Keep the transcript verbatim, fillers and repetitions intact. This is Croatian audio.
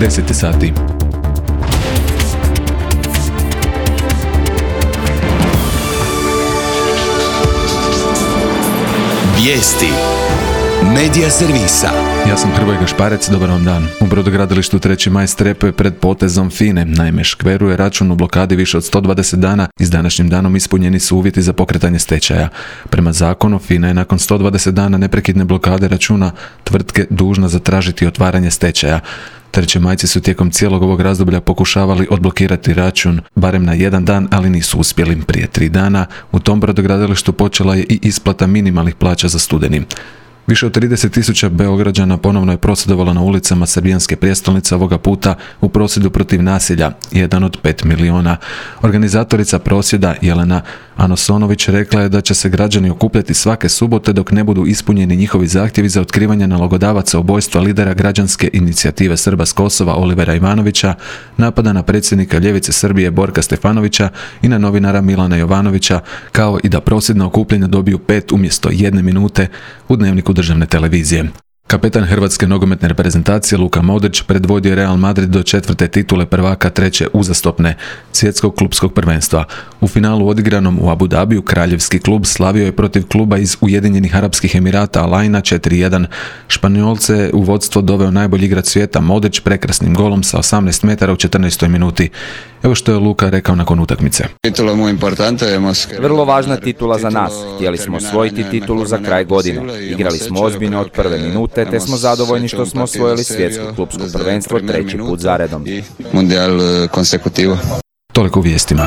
deset sati. Vijesti Medija servisa. Ja sam Hrvoje Gašparec, dobar vam dan. U brodogradilištu treći maj strepuje pred potezom FINA-e. Naime, Škveru je račun u blokadi više od sto dvadeset dana i s današnjim danom ispunjeni su uvjeti za pokretanje stečaja. Prema zakonu, FINA je nakon sto dvadeset dana neprekidne blokade računa tvrtke dužna zatražiti otvaranje stečaja. Trećemajci su tijekom cijelog ovog razdoblja pokušavali odblokirati račun barem na jedan dan, ali nisu uspjeli. Prije tri dana u tom brodogradilištu počela je i isplata minimalnih plaća za studeni. Više od trideset tisuća Beograđana ponovno je prosvjedovalo na ulicama srbijanske prijestolnice, ovoga puta u prosvjedu protiv nasilja, jedan od pet miliona. Organizatorica prosvjeda Jelena Anosonović rekla je da će se građani okupljati svake subote dok ne budu ispunjeni njihovi zahtjevi za otkrivanje nalogodavaca ubojstva lidera građanske inicijative Srba s Kosova Olivera Ivanovića, napada na predsjednika ljevice Srbije Borka Stefanovića i na novinara Milana Jovanovića, kao i da prosvjedna okupljanja dobiju pet umjesto jedne minute u Dnevniku državne televizije. Kapetan hrvatske nogometne reprezentacije Luka Modrić predvodio Real Madrid do četvrte titule prvaka treće uzastopne svjetskog klupskog prvenstva. U finalu odigranom u Abu Dhabiju kraljevski klub slavio je protiv kluba iz Ujedinjenih Arapskih Emirata Al Aina četiri jedan. Španjolce je u vodstvo doveo najbolji igrač svijeta Modrić prekrasnim golom sa osamnaest metara u četrnaestoj minuti. Evo što je Luka rekao nakon utakmice. Vrlo važna titula za nas. Htjeli smo osvojiti titulu za kraj godine. Igrali smo ozbiljno od prve minute, te smo zadovoljni što smo osvojili svjetsko klupsko prvenstvo treći put zaredom. Toliko u vijestima.